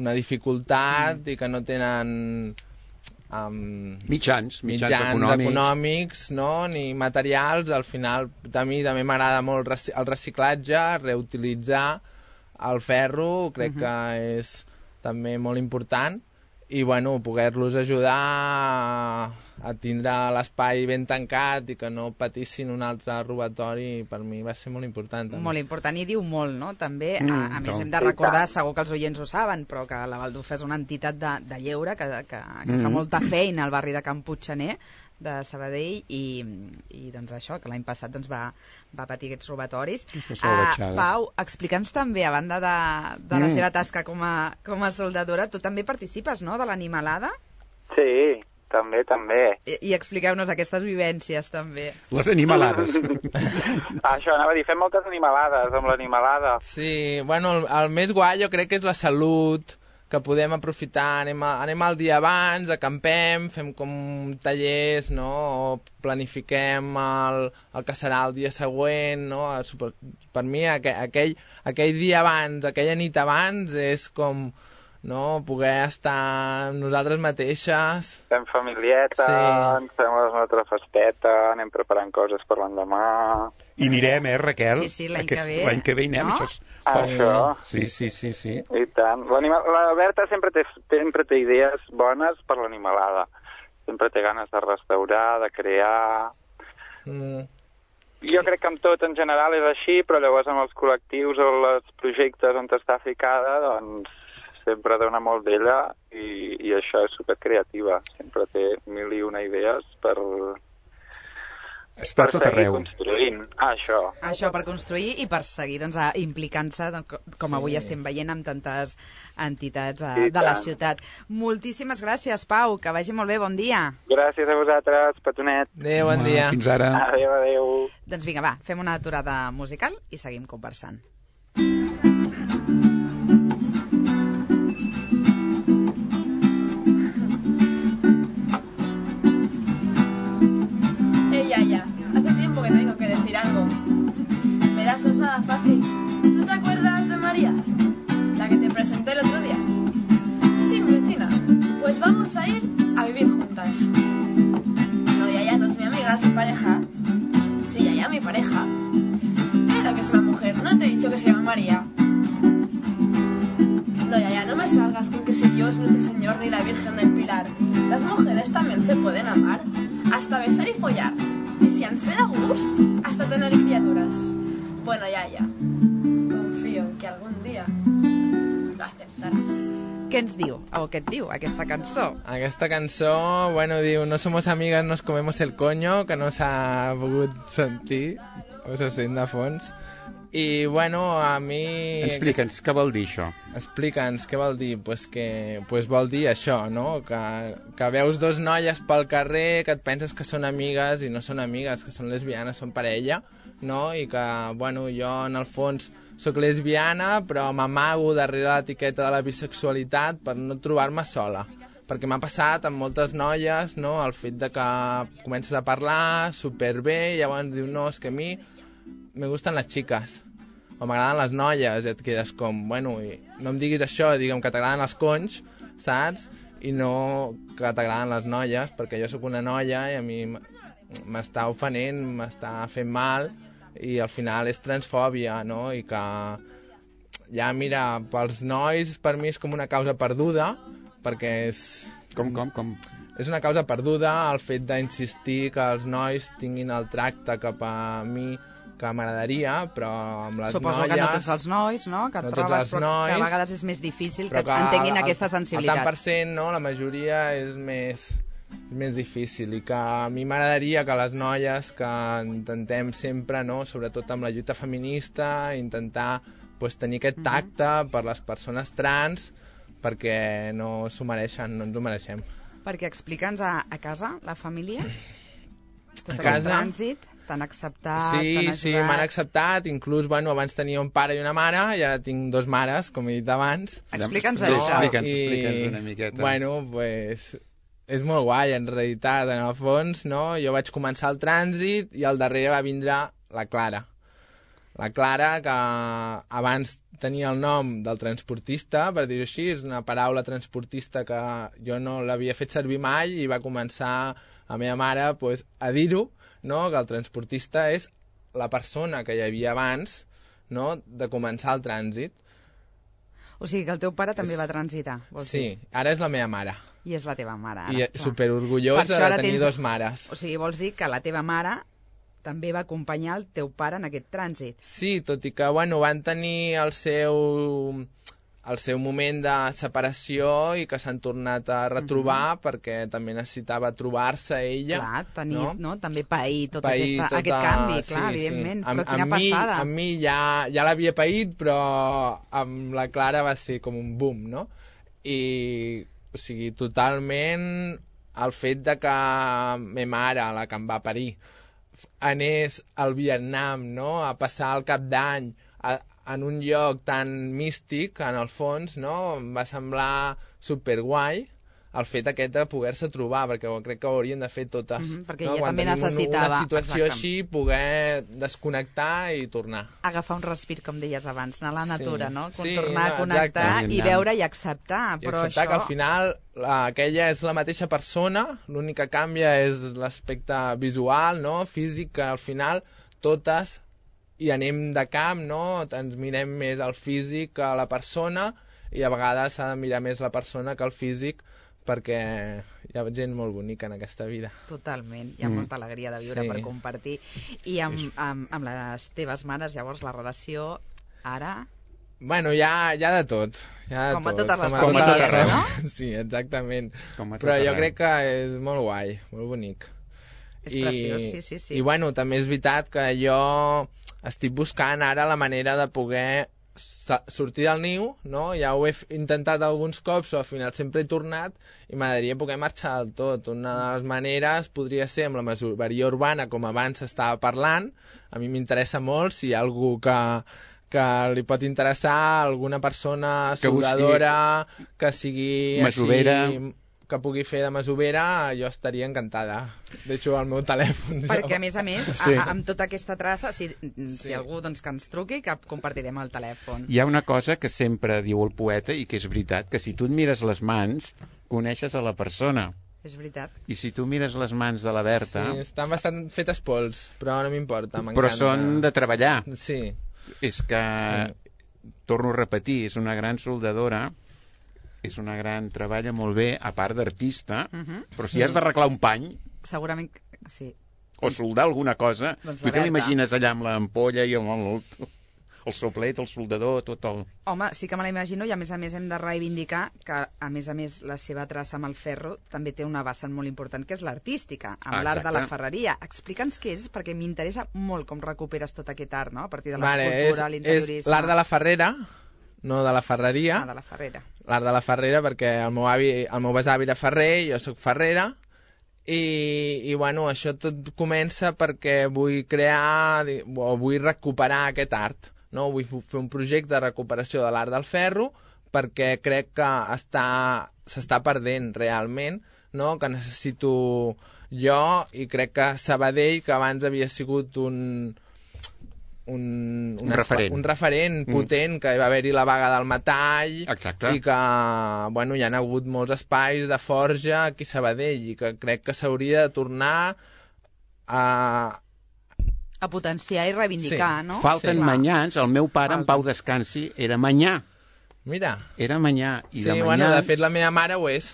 una dificultat mm. i que no tenen um, mitjans, mitjans, mitjans econòmics. econòmics, no?, ni materials. Al final, a mi també m'agrada molt el reciclatge, reutilitzar el ferro, crec mm-hmm. que és també molt important. I, bueno, poder-los ajudar a, a tindre l'espai ben tancat i que no patissin un altre robatori, per mi va ser molt important. També. Molt important, i diu molt, no?, també. Mm, a, a més, hem de recordar, segur que els oients ho saben, però que la Baldufa és una entitat de, de lleure que, que, que mm. fa molta feina al barri de Can Puigxaner, de Sabadell, i, i doncs això, que l'any passat doncs, va, va patir aquests robatoris. Uh, Pau, explica'ns també, a banda de, de la mm. seva tasca com a, com a soldadora, tu també participes, no?, de l'Animalada? Sí, també, també. I, i expliqueu-nos aquestes vivències, també. Les animalades. Això, anava a dir, fem moltes animalades amb l'Animalada. Sí, bueno, el, el més guai jo crec que és la salut, que podem aprofitar, anem, a, anem al dia abans, acampem, fem com tallers, no?, o planifiquem el, el que serà el dia següent, no? Per mi aquell, aquell, aquell dia abans, aquella nit abans és com, no?, poder estar amb nosaltres mateixes. Fem familieta, sí. Ens fem la nostra festeta, anem preparant coses per l'endemà. I anirem, eh, Raquel? Sí, sí, l'any Aquest, que ve. L'any que ve hi anem, no? això és... Això. Sí, sí, sí, sí. I tant. La Berta sempre té, sempre té idees bones per l'Animalada. Sempre té ganes de restaurar, de crear... Mm. Jo crec que amb tot en general és així, però llavors amb els col·lectius o els projectes on està ficada, doncs sempre dona molt d'ella, i, i això és supercreativa. Sempre té mil i una idees per... Està per tot seguir arreu. construint. Ah, això. Això, per construir i per seguir doncs, implicant-se, com sí. avui estem veient amb tantes entitats eh, de la ciutat. Moltíssimes gràcies, Pau, que vagi molt bé, bon dia. Gràcies a vosaltres, petonet. Adéu, bon dia. Fins ara. Adéu, adéu. Doncs vinga, va, fem una aturada musical i seguim conversant. Algo. Verás, no es nada fácil. ¿Tú te acuerdas de María? La que te presenté el otro día. Sí, sí, mi vecina. Pues vamos a ir a vivir juntas. No, Yaya no es mi amiga, es mi pareja. Sí, Yaya, mi pareja. Mira que es una mujer. ¿No te he dicho que se llama María? No, Yaya, no me salgas con que si Dios, nuestro Señor ni la Virgen del Pilar. Las mujeres también se pueden amar. Hasta besar y follar. Y si ens ve de gust, hasta tener criaturas. Bueno, ya, ya. Confío en que algún día lo aceptarás. Què ens diu, o què et diu, aquesta cançó? Aquesta cançó, bueno, diu, no somos amigas, nos comemos el coño, que no s'ha pogut sentir, o se sent de fons. I, bueno, a mi... Explica'ns, què vol dir això? Explica'ns, què vol dir? Pues que pues vol dir això, no? Que, que veus dos noies pel carrer que et penses que són amigues i no són amigues, que són lesbianes, són parella, no? I que, bueno, jo en el fons sóc lesbiana, però m'amago darrere l'etiqueta de la bisexualitat per no trobar-me sola. Perquè m'ha passat amb moltes noies, no? El fet de que comences a parlar superbé i llavors dius, no, és que a mi me gustan les xiques, o m'agraden les noies, i et quedes com, bueno, i no em diguis això, digue'm que t'agraden els conys, saps? I no que t'agraden les noies, perquè jo sóc una noia i a mi m'està ofenent, m'està fent mal, i al final és transfòbia, no? I que ja, mira, pels nois per mi és com una causa perduda, perquè és... Com, com, com? És una causa perduda el fet d'insistir que els nois tinguin el tracte cap a mi que m'agradaria, però amb les Suposo noies... que no tots els nois, no? Que et no trobes, tots els però nois, que a vegades és més difícil que, que entenguin el, aquesta sensibilitat. El tant per cent, no? La majoria és més, és més difícil, i que a mi m'agradaria que les noies que intentem sempre, no? Sobretot amb la lluita feminista, intentar pues, tenir aquest tacte mm-hmm. per les persones trans, perquè no s'ho mereixen, no ens ho mereixem. Perquè explica'ns a, a casa, la família, tot a casa, trànsit, t'han acceptat, sí, t'han ajudat... Sí, m'han acceptat, inclús, bueno, abans tenia un pare i una mare, i ara tinc dos mares, com he dit abans. Explica'ns no, això. Explica'ns, I, explica'ns una miqueta. Bueno, pues, és molt guai, en realitat, en el fons, no? Jo vaig començar el trànsit i al darrere va vindre la Clara. La Clara, que abans tenia el nom del transportista, per dir-ho així, és una paraula transportista que jo no l'havia fet servir mai, i va començar la meva mare pues, a dir-ho, no? Que el transportista és la persona que hi havia abans, no? De començar el trànsit. O sigui que el teu pare també va transitar, vols Sí, dir? ara és la meva mare. I és la teva mare, ara. I clar. superorgullosa Per això de ara tenir tens- dos mares. O sigui, vols dir que la teva mare també va acompanyar el teu pare en aquest trànsit. Sí, tot i que, bueno, van tenir el seu, el seu moment de separació i que s'han tornat a retrobar mm-hmm. perquè també necessitava trobar-se ella. Clar, tenir, no? no? També pair tot pair aquesta, tota... aquest canvi, clar, sí, evidentment. Sí. Amb, Però quina amb passada. Mi, amb mi ja, ja l'havia paït, però amb la Clara va ser com un boom, no? I, o sigui, totalment el fet de que ma mare, la que em va parir, anés al Vietnam, no? A passar el cap d'any en un lloc tan místic, en el fons, no? Em va semblar superguai el fet aquest de poder-se trobar, perquè crec que ho haurien de fer totes. Mm-hmm, perquè no? ella Quan també tenim necessitava, una situació exacte. així, poder desconnectar i tornar. Agafar un respir, com deies abans, anar a la natura, Sí. no? Sí, Tornar no, a connectar exacte. i veure i acceptar. I Però acceptar això... que al final la, aquella és la mateixa persona, l'únic que canvia és l'aspecte visual, no? Físic, que al final totes hi anem de camp, no? Ens mirem més al físic que a la persona, i a vegades s'ha de mirar més la persona que el físic, perquè hi ha gent molt bonica en aquesta vida. Totalment, hi ha Mm. molta alegria de viure Sí. per compartir. I amb, amb, amb les teves mares, llavors, la relació ara... Bueno, hi ha, hi ha de tot. Hi ha de Com a tot, totes les com a famílies, tot arreu. no? Sí, exactament. Com a tot Però jo arreu. crec que és molt guai, molt bonic. És preciós, sí, sí, sí. I bueno, també és veritat que jo estic buscant ara la manera de poder sa- sortir del niu, no? Ja ho he f- intentat alguns cops, però al final sempre he tornat, i m'agradaria poder marxar del tot. Una de les maneres podria ser amb la masoveria urbana, com abans s'estava parlant. A mi m'interessa molt, si hi ha algú que, que li pot interessar, alguna persona Que busqui soldadora, que sigui masovera. així, que pugui fer de masovera, jo estaria encantada. Deixo el meu telèfon. Perquè, jo. a més a més, Sí. a, amb tota aquesta traça, si, si Sí. algú doncs, que ens truqui, que compartirem el telèfon. Hi ha una cosa que sempre diu el poeta i que és veritat, que si tu et mires les mans, coneixes a la persona. És veritat. I si tu mires les mans de la Berta, Sí, estan bastant fetes pols, però no m'importa, m'encanta. però són de treballar. Sí, És que, Sí. torno a repetir, és una gran soldadora, és una gran... treballa molt bé, a part d'artista, Mhm. però si has d'arreglar un pany Segurament, que- sí. o soldar alguna cosa, Doncs tu la te Berta. l'imagines allà amb l'ampolla i amb el, el soplet, el soldador, tot el... Home, sí que me la imagino, i a més a més hem de reivindicar que, a més a més, la seva traça amb el ferro també té una vessant molt important, que és l'artística, amb Ah, l'art de la exacte. ferreria. Explica'ns què és, perquè m'interessa molt com recuperes tot aquest art, no?, a partir de vale, l'escultura, és, l'interiorisme... és l'art de la ferrera, no de la ferreria. Ah, de la ferrera. L'art de la ferrera, perquè el meu, avi, el meu besavi era ferrer, jo sóc ferrera, i, i bueno, això tot comença perquè vull crear, di- o vull recuperar aquest art, no? Vull f- fer un projecte de recuperació de l'art del ferro, perquè crec que està s'està perdent realment, no? Que necessito jo, i crec que Sabadell, que abans havia sigut un... Un, Un referent. un referent potent, que va haver-hi la vaga del metall, Exacte. i que, bueno, hi ha hagut molts espais de forja aquí a Sabadell, i que crec que s'hauria de tornar a... A potenciar i reivindicar, Sí. no? Falten Sí. manyans, el meu pare, Falten. en Pau Descansi, era manyà. Mira, Era manyà. I sí, de manyà... bueno, de fet la meva mare ho és.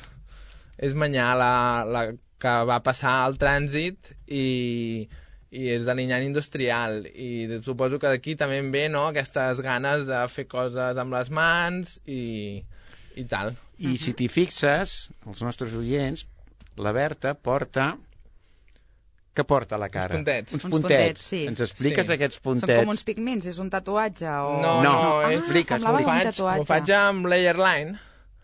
És manyà la, la que va passar al trànsit i, i és de l'Inyant Industrial. I suposo que d'aquí també en ve, no?, aquestes ganes de fer coses amb les mans i, i tal. I si t'hi fixes, els nostres oients, la Berta porta... Què porta a la cara? Uns puntets. Uns Uns puntets. puntets, sí. Ens expliques Sí. aquests Són puntets? com uns pigments, és un tatuatge o... No, No, no, Ah, és... explica, semblava M'ho un faig, tatuatge. m'ho faig amb layer line,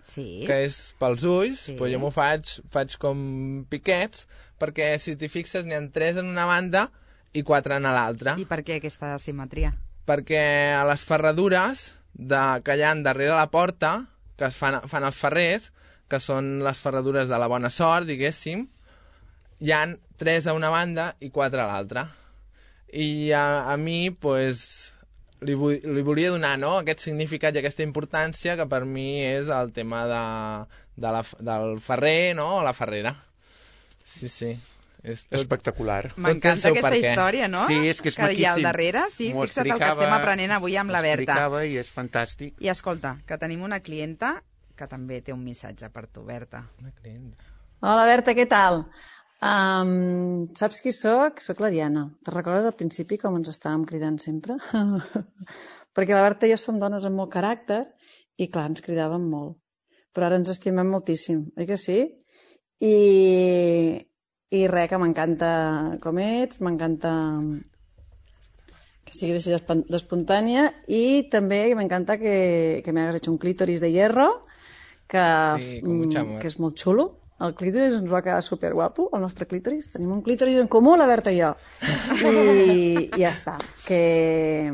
Sí. que és pels ulls, Sí. però jo m'ho faig, faig com piquets, perquè si t'hi fixes n'hi ha tres en una banda i quatre en l'altra. I per què aquesta simetria? Perquè a les ferradures de, que hi ha darrere la porta, que es fan, fan els ferrers, que són les ferradures de la bona sort, diguéssim, hi han tres a una banda i quatre a l'altra. I a, a mi, pues, li, vull, li volia donar, no?, aquest significat i aquesta importància que per mi és el tema de, de la, del ferrer, no?, o la ferrera. Sí, sí. És tot... Espectacular. Tot té el M'encanta seu aquesta perquè. història, no? Sí, és que és que hi ha al maquíssim. darrere. Sí, M'ho fixa't el que explicava- estem aprenent avui amb la Ho Berta. explicava i és fantàstic. I escolta, que tenim una clienta que també té un missatge per tu, Berta. Una clienta. Hola, Berta, què tal? Um, saps qui sóc? Sóc l'Ariana. Te recordes al principi com ens estàvem cridant sempre? Perquè la Berta i jo som dones amb molt caràcter i, clar, ens cridàvem molt. Però ara ens estimem moltíssim, oi que sí? I, i res, que m'encanta com ets, m'encanta que siguis així d'espan- d'espontània i també m'encanta que, que me hagas hecho un clítoris de hierro que, Sí, con mucha amor. que és molt xulo. El clítoris ens va quedar superguapo, el nostre clítoris. Tenim un clítoris en comú, la Berta i jo. I, i ja està. Que...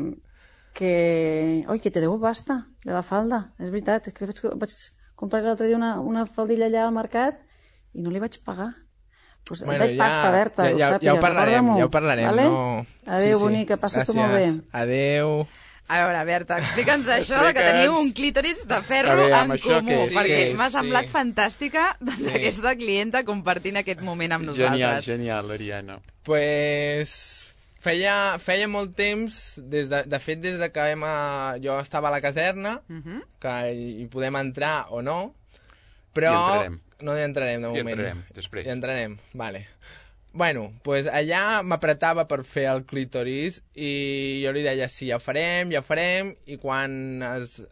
que... Oi, que te deu pasta de la falda. És veritat, és que vaig, vaig comprar l'altre dia una, una faldilla allà al mercat i no li vaig pagar. Pues Bueno, et veig pasta, Berta, ja, ho ja, sàpigues, ja ho parlarem, recorda-m'ho, ja ho parlarem. vale? No... Adéu, bonica, passa-t'ho molt bé. Adéu. A veure, Berta, explica'ns això de que Explica'ns. teniu un clítoris de ferro A veure, amb en això comú, què és? perquè Què és? m'ha semblat Sí. fantàstica doncs, Sí. aquesta clienta compartint aquest moment amb Genial, nosaltres. genial, Ariana. Pues feia, feia molt temps, des de, de fet des de que vam a, jo estava a la caserna, Uh -huh. que hi, hi podem entrar o no, però Hi entrarem. no hi entrarem de Hi moment. entrarem, després. Hi entrarem, vale. Bueno, pues allà m'apretava per fer el clítoris i jo li deia sí, ja ho farem, ja ho farem, i quan es,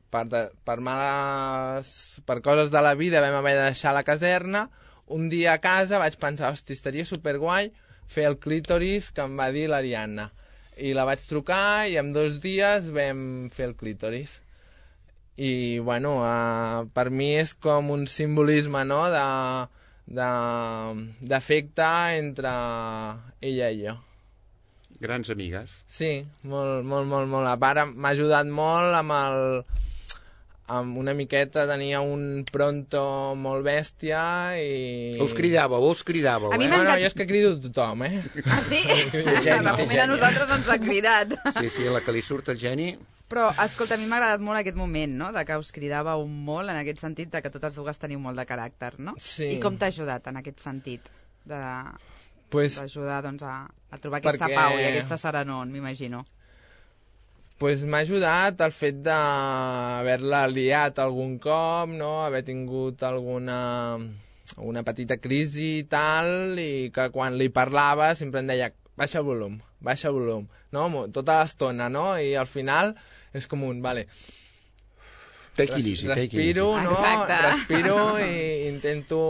per, de, per males per coses de la vida vam haver de deixar la caserna, un dia a casa vaig pensar, hosti, estaria superguai fer el clítoris que em va dir l'Ariadna, i la vaig trucar i en dos dies vam fer el clítoris. I bueno, uh, per mi és com un simbolisme, no?, de de- d'afecte entre ella i jo. Grans amigues. Sí, molt, molt, molt, molt. A part, m'ha ajudat molt amb el... amb una miqueta, tenia un pronto molt bèstia i... Us cridàveu, us cridàveu, A mi eh? m'ha- No, no, jo és que crido tothom, eh? Ah, sí? Geni, De moment a nosaltres ens ha cridat. Sí, sí, la que li surt el geni... Però, escolta, a mi m'ha agradat molt aquest moment, no?, de que us cridàveu molt, en aquest sentit de que totes dues teniu molt de caràcter, no? Sí. I com t'ha ajudat en aquest sentit? De... Pues, d'ajudar doncs, a, a trobar aquesta Perquè- pau i aquesta serenor, m'imagino. pues m'ha ajudat el fet d'haver-la liat algun cop, no?, haver tingut alguna una petita crisi i tal, i que quan li parlava sempre em deia baixa el volum, baixa el volum, no?, Mo- tota l'estona, no?, i al final és com un, vale, Take it easy, take it easy. respiro, no? Exacte. Respiro i intento...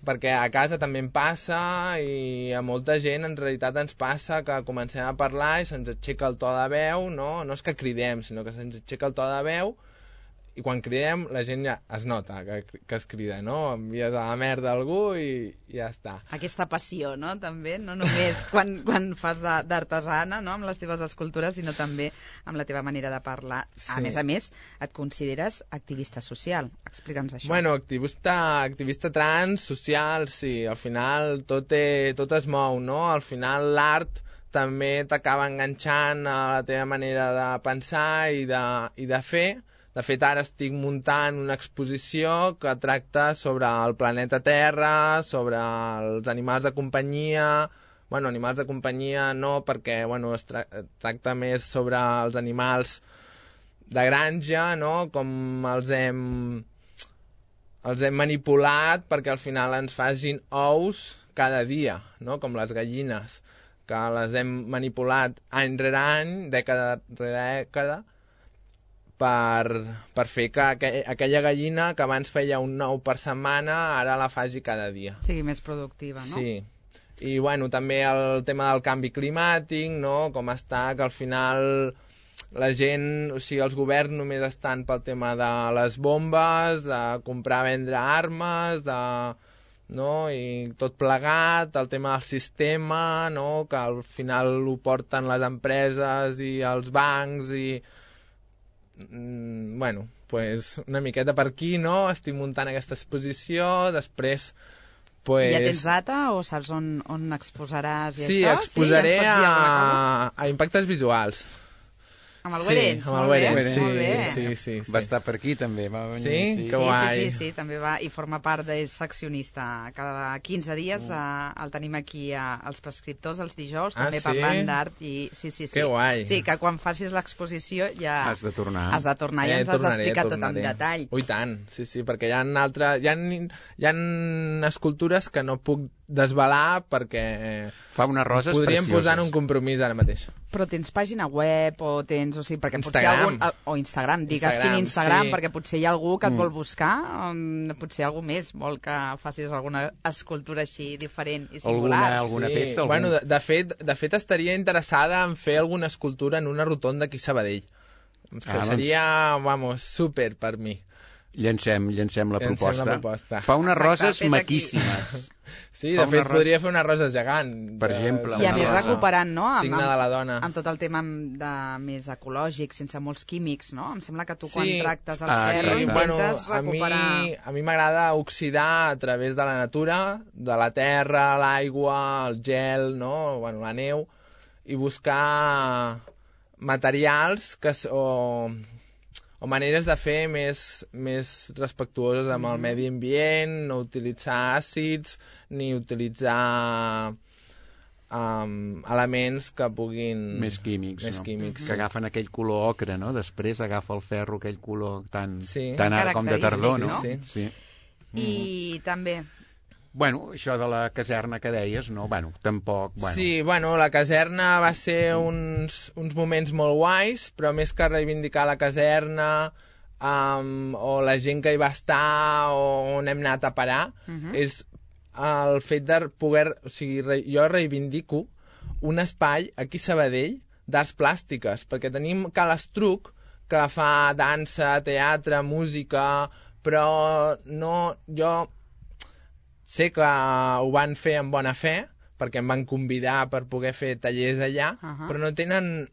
Perquè a casa també em passa i a molta gent en realitat ens passa que comencem a parlar i se'ns aixeca el to de veu, no? No és que cridem, sinó que se'ns aixeca el to de veu i quan cridem la gent ja es nota que, que es crida, no? Envies a la merda a algú i, i ja està. Aquesta passió, no?, també, no només quan, quan fas de- d'artesana, no?, amb les teves escultures, sinó també amb la teva manera de parlar. A Sí. més a més, et consideres activista social. Explica'ns això. Bueno, activista, activista trans, social, sí, al final tot, té, tot es mou, no? Al final l'art també t'acaba enganxant a la teva manera de pensar i de, i de fer. De fet, ara estic muntant una exposició que tracta sobre el planeta Terra, sobre els animals de companyia, bueno, animals de companyia no, perquè bueno, es tra tracta més sobre els animals de granja, no? Com els hem, els hem manipulat perquè al final ens facin ous cada dia, no? Com les gallines, que les hem manipulat any rere any, dècada rere dècada, per, per fer que aqu aquella gallina que abans feia un ou per setmana, ara la faci cada dia. Sigui més productiva, no? Sí. I, bueno, també el tema del canvi climàtic, no? Com està, que al final la gent, o sigui, els governs només estan pel tema de les bombes, de comprar, vendre armes, de... no? I tot plegat, el tema del sistema, no? Que al final ho porten les empreses i els bancs i... Mm, bueno, pues una miqueta per aquí, no? Estic muntant aquesta exposició, després... Pues... Ja tens data o saps on, on exposaràs i sí, això? Exposaré sí, exposaré a, a Impactes Visuals. Amb el Werens, sí, amb el molt bé, Werens, sí, molt bé. Sí, sí, sí. Va estar per aquí també, va venir. Sí? Sí, Que guai. Sí, sí, sí, també va, i forma part, és seccionista. Cada quinze dies mm. eh, el tenim aquí a, als prescriptors els dijous, ah, també sí? parlant d'art. I sí, sí, sí. Que guai. Sí, que quan facis l'exposició ja... Has de tornar. Has de tornar i eh, ens has tornaré, d'explicar tot tornaré. en detall. Ui, tant, sí, sí, perquè hi ha altres... Hi ha, hi ha escultures que no puc desvelar perquè... Fa unes roses podríem precioses. posar en un compromís ara mateix. Però tens pàgina web o tens... O sigui, perquè potser Instagram. algun... O Instagram, digues Instagram, quin Instagram, sí. perquè potser hi ha algú que et Mm. vol buscar, um, potser algú més vol que facis alguna escultura així diferent i singular. Alguna, alguna sí. peça? Algun... Bueno, de, de, fet, de fet, estaria interessada en fer alguna escultura en una rotonda aquí a Sabadell. Que Ah, seria, vamos, súper per mi. Llencem, llencem la Llencem proposta. la proposta. Fa unes Exacte, roses fet aquí. maquíssimes. Sí, Fa de fet, una rosa- podria fer una rosa gegant. Per de- exemple, I a una més rosa. recuperant, no? Amb, Signe de la dona. Amb tot el tema de més ecològic, sense molts químics, no? Em sembla que tu quan Sí. tractes el Ah, ferro exacte. bueno, intentes a mi, recuperar... a mi m'agrada oxidar a través de la natura, de la terra, l'aigua, el gel, no? Bueno, la neu, i buscar materials que, s- o, o maneres de fer més, més respectuoses amb el medi ambient, no utilitzar àcids, ni utilitzar um, elements que puguin... Més químics, Més no? químics, Que sí. agafen aquell color ocre, no? Després agafa el ferro aquell color tan, Sí. tan ara com de tardor, no? Sí, sí. I també... Bueno, això de la caserna que deies, no? Bueno, tampoc... Bueno. Sí, bueno, la caserna va ser uns, uns moments molt guais, però més que reivindicar la caserna um, o la gent que hi va estar o on hem anat a parar, uh -huh. és el fet de poder... O sigui, re, jo reivindico un espai aquí a Sabadell d'arts plàstiques, perquè tenim Cal Estruc, que fa dansa, teatre, música, però no... Jo sé que ho van fer amb bona fe, perquè em van convidar per poder fer tallers allà, Uh -huh. però no tenen...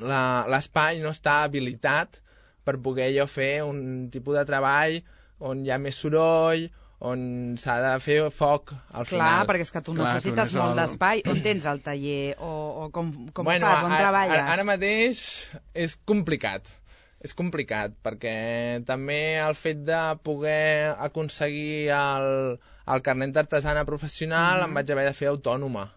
l'espai no està habilitat per poder jo fer un tipus de treball on hi ha més soroll, on s'ha de fer foc al Clar, final. perquè és que tu Clar, necessites tu molt no- d'espai. On tens el taller? O, o com, com bueno, ho fas? On ara, treballes? Ara, ara mateix és complicat. És complicat, perquè també el fet de poder aconseguir el, el carnet d'artesana professional mm-hmm. em vaig haver de fer autònoma.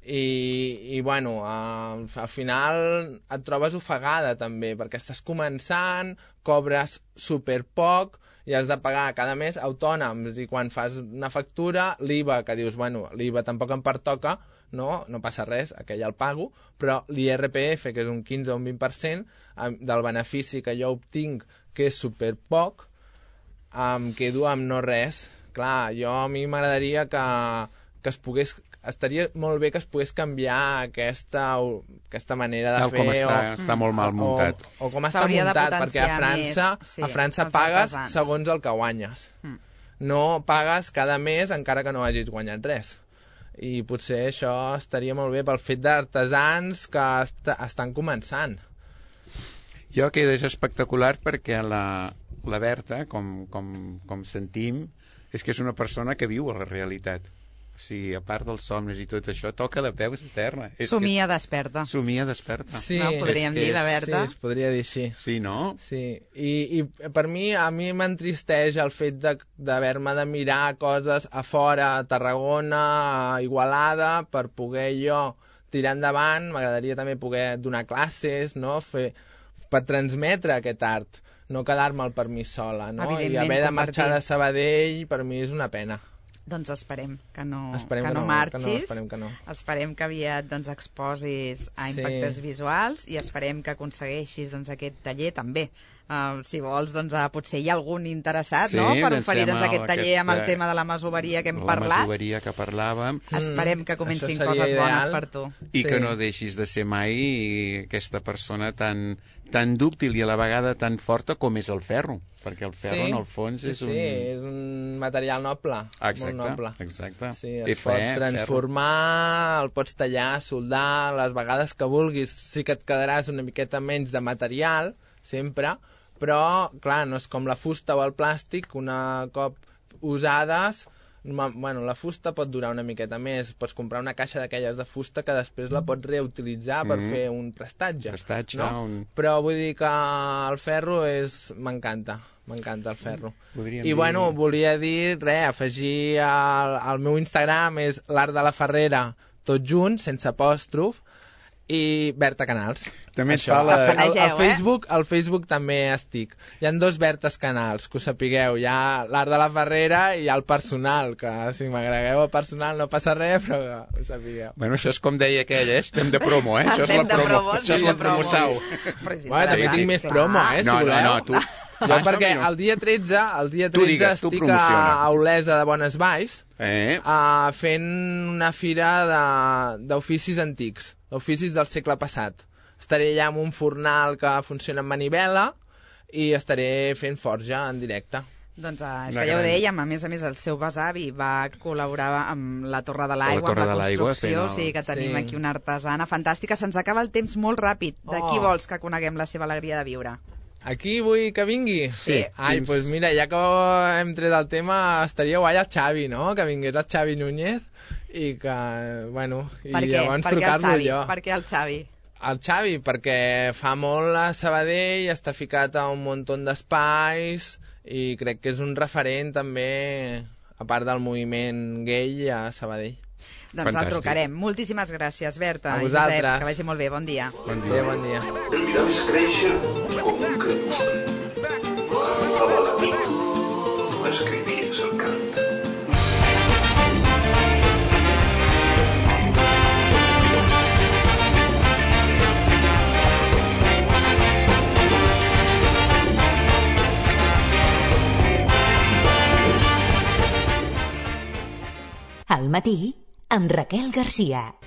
I, i bueno, al, al final et trobes ofegada també, perquè estàs començant, cobres super poc i has de pagar cada mes autònoms, i quan fas una factura, l'I V A, que dius, bueno, l'I V A tampoc em pertoca, no, no passa res, aquell el pago, però l'I R P F, que és un quinze o un vint per cent del benefici que jo obtinc, que és super poc, em quedo amb no res. Clar, jo a mi m'agradaria que, que es pogués... Estaria molt bé que es pogués canviar aquesta, aquesta manera de Tal fer... com està, o, està molt mal muntat. O, o com està S'hauria de muntat, perquè a potenciar França, més, sí, a França els pagues artesans. segons el que guanyes. Mm. No pagues cada mes encara que no hagis guanyat res. I potser això estaria molt bé pel fet d'artesans que est estan començant. Jo que és espectacular perquè la, la Berta, com, com, com sentim, és que és una persona que viu a la realitat. Sí, a part dels somnis i tot això, toca de peus a terra. És Somia que... desperta. Somia desperta. Sí, no, podríem dir, la Berta. Sí, es podria dir així. Sí, no? Sí, I, i per mi, a mi m'entristeix el fet d'haver-me de, de mirar coses a fora, a Tarragona, a Igualada, per poder jo tirar endavant. M'agradaria també poder donar classes, no? Fer, per transmetre aquest art, no quedar-me'l per mi sola, no? I haver de marxar de Sabadell, per mi és una pena. Doncs esperem que no, esperem que que no, no marxis, que no, esperem que no. Esperem que aviat doncs, exposis a impactes sí. visuals i esperem que aconsegueixis doncs, aquest taller també. Uh, si vols, doncs, uh, potser hi ha algun interessat sí, no? per oferir doncs, aquest taller aquesta... amb el tema de la masoveria que hem la parlat. La masoveria que parlàvem. Mm. Esperem que comencin coses ideal. bones per tu. I sí. que no deixis de ser mai aquesta persona tan, tan dúctil i a la vegada tan forta com és el ferro, perquè el ferro sí. en el fons sí, és sí, un... Sí, és un material noble, exacte, molt noble. Exacte. Sí, es Té pot fe, transformar, ferro. El pots tallar, soldar, les vegades que vulguis. Sí que et quedaràs una miqueta menys de material, sempre, però, clar, no és com la fusta o el plàstic, una cop usades... Bueno, la fusta pot durar una miqueta més. Pots comprar una caixa d'aquelles de fusta que després la pots reutilitzar per mm-hmm. fer un prestatge. Prestatge, no? un... Però vull dir que el ferro és... m'encanta. M'encanta el ferro. Podríem I dir... bueno, volia dir, res, afegir al, al meu Instagram és l'Art de la Ferrera, tot junt, sense apòstrof, i Berta Canals. També ens fa la... Al, al, Facebook, al Facebook també estic. Hi ha dos Bertes Canals, que ho sapigueu. Hi ha l'Art de la Ferrera i hi ha el personal, que si m'agregueu el personal no passa res, però que ho sapigueu. Bueno, això és com deia aquell, eh? Estem de promo, eh? Això és la promo. promo això és la promo sau. Bueno, també tinc més promo, eh? Si no, voleu. no, no, tu... Jo perquè el dia tretze, el dia tretze digues, estic a Olesa de Bones Valls eh? uh, fent una fira d'oficis antics, d'oficis del segle passat. Estaré allà amb un fornal que funciona amb manivela i estaré fent forja en directe. Doncs uh, és que ja ho dèiem, a més a més el seu besavi va col·laborar amb la Torre de l'Aigua, amb la construcció, o sigui que tenim sí. aquí una artesana fantàstica. Se'ns acaba el temps molt ràpid. De qui oh. vols que coneguem la seva alegria de viure? Aquí vull que vingui? Sí. Ai, doncs pues mira, ja que hem tret el tema, estaria guai el Xavi, no? Que vingués el Xavi Núñez i que, bueno, i llavors trucar-lo jo. Per què el Xavi? El Xavi, perquè fa molt a Sabadell, està ficat a un munt d'espais i crec que és un referent també, a part del moviment gay a Sabadell. Doncs Fantàstic. El trucarem. Moltíssimes gràcies, Berta i Josep. Que vagi molt bé. Bon dia. Bon dia, bon dia. El mirar és créixer com un crepuscle. A la nit m'escrivies el cant. Al matí, amb Raquel Garcia.